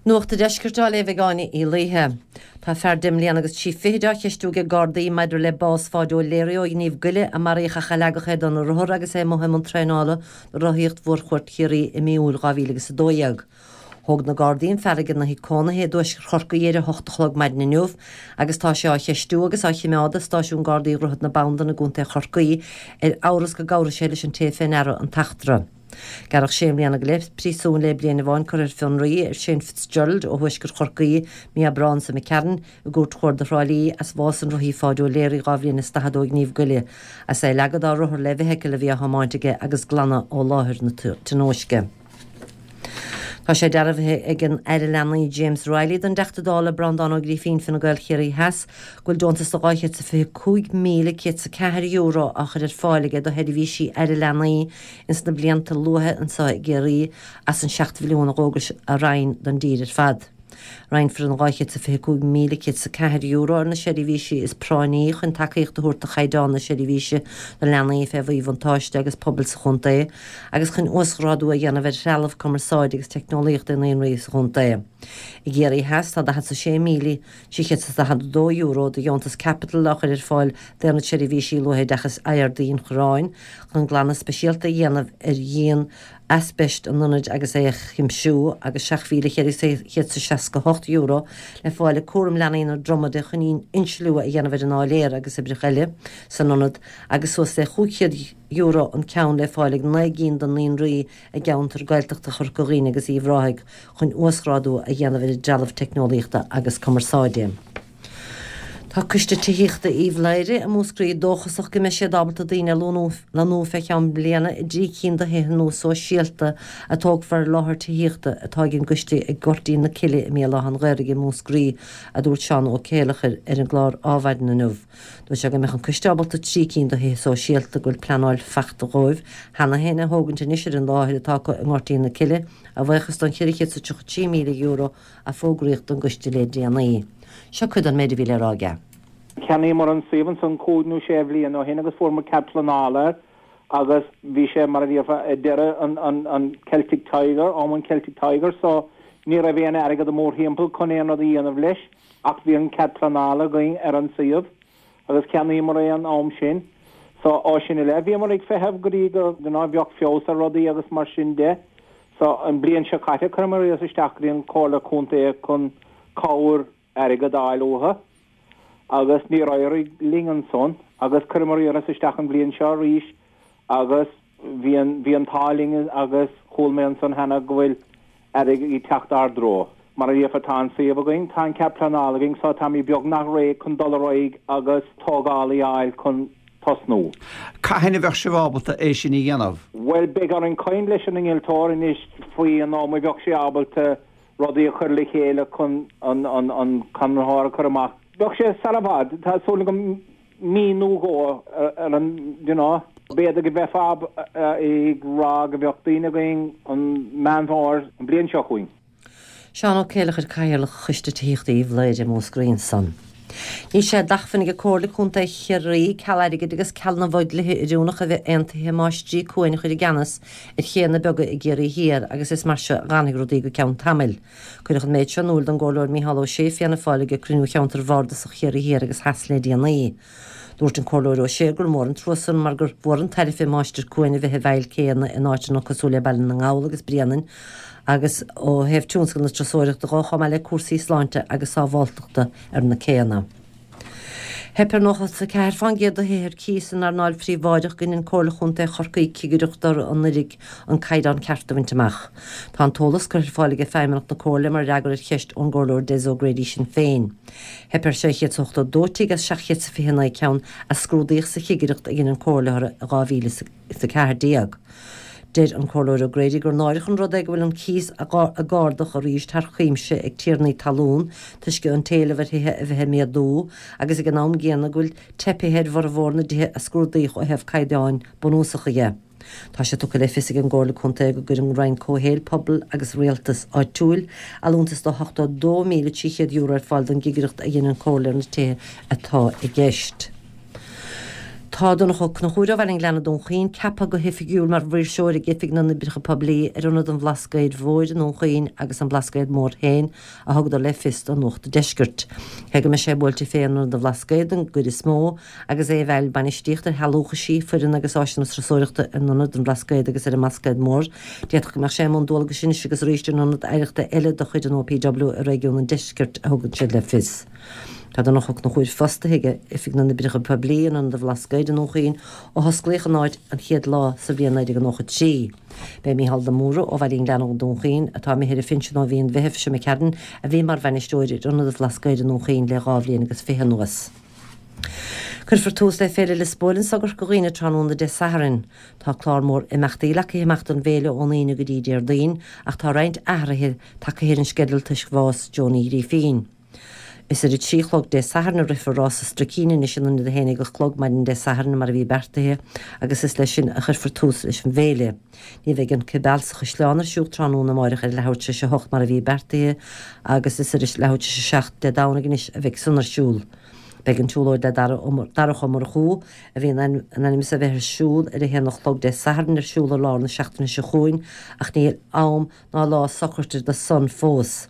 Nuacht an Deiscirt á léamh ag Áine Uí Laoithe. Tá fear deich mbliana agus 30 fichid á cheistiú ag Gardaí maidir le bás Pháid O'Leary ó Ghníomh Goile a maraíodh ach a leagadh é dona rothar agus é amuigh i mbun traenála do Rothaíocht Mhórchuairt Chiarraí i mí Iúil 2012. Thóg na Gardaí an fear ag ina thigh cónaithe i dtuaisceart Chorcaí ar a hocht a chlog maidin inniu agus tá sé á cheistiú agus á chimeád i Stáisiún Gardaí Dhroichead na Bandan i gContae Chorcaí ar amhras go gcabhraigh sé leis an té fé ndeara an t-eachtra. Gearradh sé mbliana go leith príosúin le bliain amháin curtha ar fionraí ar Shane Fitzgerald ó thuaisceart Chorcaí mí Aibreán seo imigh tharainn i gCúirt Chuarda Thrá Lí as bhás an rothaí Pháid O'Leary 2 bhliain is 40 ó Ghníomh Goile as é a leagadh dá rothar le feithicil a bhí á thiomáint aige agus glanadh ó láthair na tionóisce. Tá sé dearbhaithe ag an Aire Leanaí James Reilly don dTeachta Dála Breandán Ó Grífín, Fine Gael Chiarraí Theas, go bhfuil deontas de €225,104 á chur ar fáil aige do sheirbhísí Aire Leanaí ins na blianta luatha anseo i gCiarraí as an 7 mhilliún a d'fhógair a Roinn don dtír ar fad. Roinnfear an €225,104 ar na seirbhísí is práinní chun tacaíocht a thabhairt do chaighdeán na seirbhíse do leanaí fé mhíbhuntáiste agus pobail sa chontae agus chun uasghrádú a dhéanamh ar threalamh cumarsáide agus teicneolaíochta i naíonraí sa chontae. I gCiarraí Theas tá €46,342 de dheontas caipitil á chur ar fáil d'Aonad Seirbhísí Luathoideachais IRD an Chorráin chun glanadh speisialta a dhéanamh ar dhíon aispeist an ionaid agus é a chuimsiú, agus €7,468 le fáil ag Cúram Leanaí na Dromada chun insliú a dhéanamh ar an áiléar agus oibreacha eile san ionad, agus suas le €500 an ceann le fáil ag 9 gcinn de naíonraí i gceantar Gaeltachta Chorca Dhuibhne agus Uíbh Ráthaigh chun uasghrádú a dhéanamh ar a dtrealamh teicneolaíochta agus cumarsáide. Tá Coiste Tithíochta Uíbh Laoghaire i Múscraí dóchasach go mbeidh siad ábalta daoine a lonnú fé cheann bliana i dtrí cinn de thithe nua sóisialta a tógfar ar láthair tithíochta atá ag an gcoiste ag Goirtín na Cille i mBéal Átha an Ghaorthaidh i Múscraí, a dúirt Seán Ó Céileachair ar an gclár Ádhmhaidin inniu. Dúirt sé go mbeadh an coiste ábalta trí cinn de thithe sóisialta go bhfuil pleanáil fachta dhóibh cheana féin a thógaint anois ar an láthair atá acu i nGoirtín na Cille, a bhuíochas don €433,000 a fógraíodh don gcoiste le déanaí. Seo cuid den méid a bhí le rá aige. Cheannaíomar an suíomh ansan cúig nó sé bhliain ó shin agus fuaireamar cead pleanála air agus bhí sé mar a déarfá ag deireadh an Celtic Tiger, am an Celtic Tiger so ní raibh aon airgead mórthimpeall chun aon rud a dhéanamh leis ach bhí an cead pleanála againn ar an suíomh agus cheannaíomar é an am sin so ó sin i leith bhíomar ag feitheamh go dtí go you know bheadh feabhas ar rudaí agus mar sin de. So, an bliain seo caite, chuireamar iarratas isteach go dtí an Comhairle Contae chun cabhair airgid a fháil uathu agus níor éirigh linn ansan agus chuireamar iarratas isteach an bhliain seo arís agus bhí an, bhí an t-ádh linn agus chuala mé ansan cheana go bhfuil airgead ag teacht ár dtreo. Mar a déarfá, tá an suíomh againn, tá an cead pleanála againn so táimid beagnach réidh chun dul ar aghaidh agus tógálaí a fháil chun tosnú. Cathain a bheadh sibh ábalta é sin a dhéanamh? Bhuel, beidh orainn caint leis an innealtóir anois faoi an am a bheadh sé ábalta rudaí a chur le chéile chun an conraitheoir a chur amach. Bheadh sé sara i bhfad, tá súil agam mí nó dhó ar an, you know. B'fhéidir go mbeifeá ag rá go mbeadh daoine againn an Meán Fómhair an bhliain seo chugainn. Seán Ó Céileachair, Cathaoirleach Choiste Tithíochta Uíbh Laoghaire i Múscraí ansan. Níl sé d'acmhainn ag Comhairle Contae Chiarraí ceal airgid agus ceal na bhfo-dhlíthe oiriúnach a bheith aontaithe Máistrí Cuain a chur i gceannas ar chéanna beaga i gCiarraí Thiar agus is mar seo a dh'fhanfaidh rudaí go ceann tamaill. Cuireadh an méid seo in iúil don gComhairleoir Micheál Ó Sé, Fianna Fáil ag cruinniú Cheantar Bhardasach Chiarraí Thiar agus Theas le déanaí. Dúirt an Comhairleoir Ó Sé gur mór an trua san mar gur mhór an tairbhe Máistir Cuain a bheith i bhfeighil céanna in áiteanna cosúil le Baile na nGall agus Bréanainn agus ó thaobh tionscal na turasóireachta dhó chomh maith le cúrsaí sláinte agus sábháltachta ar na céanna. Theip ar 94 fán gcéad de thithe ar cíos san earnáil phríobháideach go ndein Comhairle Chontae Chorcaí cigireacht orthu anuraidh an caighdeán ceart a bhaint amach. Tá an t-eolas curtha ar fáil ag Feidhmeannacht na Comhairle mar fhreagra ar cheist ón gComhairleoir Des O'Grady Sinn Féin. Theip ar 682 tigh as 729 ceann a scrúdaíodh sa chigireacht a dhein an Chomhairle orthu in 2014. Deir an Comhairleoir O'Grady gur náireach an rud é go bhfuil an cíos ag ardú arís thar cuimse ag tiarnaí talún toisc an t-éileamh ar thithe a bheith ag méadú agus ag an am gcéanna go bhfuil teipithe ar bhformhór na dtithe a scrúdaíodh ó thaobh caighdeáin bunúsacha dhe. Tá sé tugtha le fios ag an gComhairle Contae go gcuir an Roinn Comhshaoil, Pobail agus Rialtais Áitiúil allúntas de €82,300 ar fáil don gcigireacht a dhein an Chomhairle ar na tithe atá i gceist. Tá Donncha Ó Conchúir ó Bhaile an Ghleanna, Dún Chaoin, ceaptha go hoifigiúil mar Mhaoirseoir ag Oifig na nOibreacha Poiblí ar Ionad an Bhlascaoid Mhóir i nDún Chaoin agus an Blascaod Mór féin, a thugadar le fios do Nuacht an Deiscirt. Cé go mbeidh sé buailte fé in Ionad an Bhlascaoid don gcuid is mó, agus é i bhfeighil bainistíocht ar shealúchaisí, foireann agus áiseanna turasóireachta in Ionad an Bhlascaoid agus ar an mBlascaod Mór, d'fhéadfadh go mbeadh sé i mbun dualgais anois agus arís in ionad oidhreachta eile de chuid an OPW i réigiún an Deiscirt, a thugann siad le fios. Tá Donncha Ó Conchúir fostaithe ag Oifig na nOibreacha Poiblí in Ionad an Bhlascaoid i nDún Chaoin ó hosclaíodh an áit an chéad lá sa bhliain 1993. B'é Mícheál de Mórdha ó Bhaile an Ghleanna i nDún Chaoin, atá imithe ar a phinsean ó mhí an Mheithimh seo imigh tharainn, a bhí mar bhainisteoir ar Ionad an Bhlascaoid i nDún Chaoin le 22 bhliain anuas. Cuirfear tús le Féile Liospóil anso i gCorca Dhuibhne tráthnóna Dé Sathairn. Tá clár mór imeachtaí leagtha amach don bhféile ón Aoine go dtí Déardaoin ach tá roinnt athruithe tagtha ar an sceideal toisc bhás Joe Ní Ghrífín. Is ar a 3 a chlog Dé Sathairn a rithfear rás an Struicín anois in ionad a 11 a chlog maidin Dé Sathairn mar a bhí beartaithe agus is leis sin a chuirfear tús leis an bhféile. Ní bheidh an Cibeal sa Chaisleán ar siúl tráthnóna amáireach ar a leathuair tar éis a hocht mar a bhí beartaithe agus is ar a leathuair tar éis a 7 Dé Domhnaigh anois a bheidh san ar siúl. Beidh an tsiúlóid le Darach Ó Murchú, a bhí in ainm is a bheith ar siúl ar a haon a chlog Dé Sathairn ar siúl i lár na seachtaine seo chugainn ach níl am ná lá socraithe do san fós.